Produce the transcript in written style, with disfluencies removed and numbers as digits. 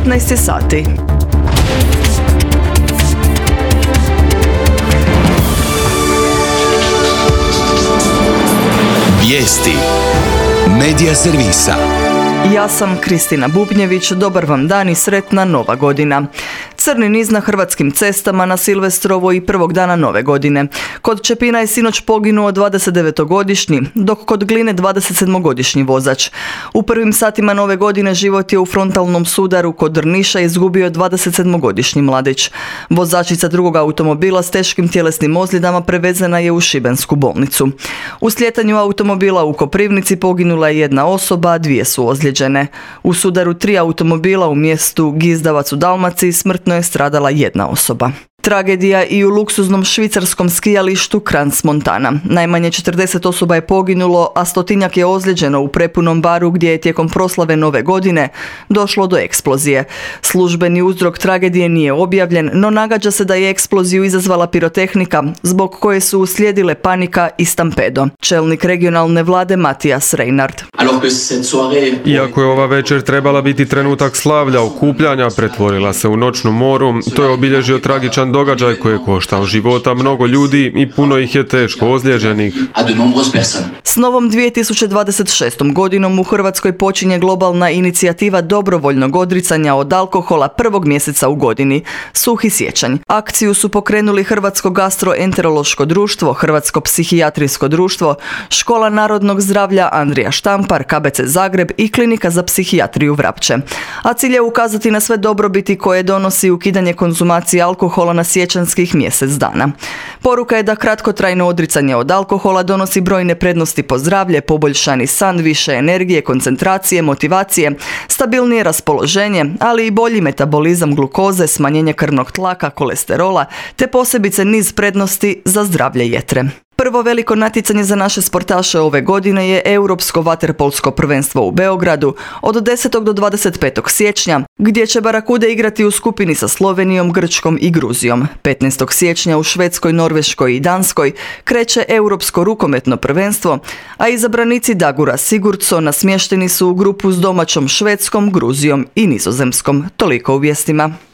15 sati. Vijesti Medija servisa. Ja sam Kristina Bubnjević, dobar vam dan i sretna Nova godina. Crni niz na hrvatskim cestama na Silvestrovo i prvog dana Nove godine. Kod Čepina je sinoć poginuo 29-godišnji, dok kod Gline 27-godišnji vozač. U prvim satima Nove godine život je u frontalnom sudaru kod Drniša izgubio 27-godišnji mladić. Vozačica drugog automobila s teškim tjelesnim ozljedama prevezena je u šibensku bolnicu. U slijetanju automobila u Koprivnici poginula je jedna osoba, a dvije su ozlijeđene. U sudaru 3 automobila u mjestu Gizdavac u Dalmaciji smrtno je stradala jedna osoba. Tragedija i u luksuznom švicarskom skijalištu Crans Montana. Najmanje 40 osoba je poginulo, a stotinjak je ozlijeđeno u prepunom baru gdje je tijekom proslave Nove godine došlo do eksplozije. Službeni uzrok tragedije nije objavljen, no nagađa se da je eksploziju izazvala pirotehnika, zbog koje su uslijedile panika i stampedo. Čelnik regionalne vlade Matijas Reinhardt. Iako je ova večer trebala biti trenutak slavlja, okupljanja, pretvorila se u noćnu moru. To je obilježio tragičan događaj koji je koštao života mnogo ljudi i puno ih je teško ozlijeđenih. S novom 2026. godinom u Hrvatskoj počinje globalna inicijativa dobrovoljnog odricanja od alkohola prvog mjeseca u godini, Suhi siječanj. Akciju su pokrenuli Hrvatsko gastroenterološko društvo, Hrvatsko psihijatrijsko društvo, Škola narodnog zdravlja Andrija Štampar, KBC Zagreb i Klinika za psihijatriju Vrapče. A cilj je ukazati na sve dobrobiti koje donosi ukidanje konzumacije alkohola na siječanskih mjesec dana. Poruka je da kratkotrajno odricanje od alkohola donosi brojne prednosti po zdravlje, poboljšani san, više energije, koncentracije, motivacije, stabilnije raspoloženje, ali i bolji metabolizam glukoze, smanjenje krvnog tlaka, kolesterola, te posebice niz prednosti za zdravlje jetre. Prvo veliko natjecanje za naše sportaše ove godine je Europsko vaterpolsko prvenstvo u Beogradu od 10. do 25. siječnja, gdje će Barakude igrati u skupini sa Slovenijom, Grčkom i Gruzijom. 15. siječnja u Švedskoj, Norveškoj i Danskoj kreće Europsko rukometno prvenstvo, a izabranici Dagura Sigurdsona smješteni su u grupu s domaćom Švedskom, Gruzijom i Nizozemskom. Toliko u vijestima.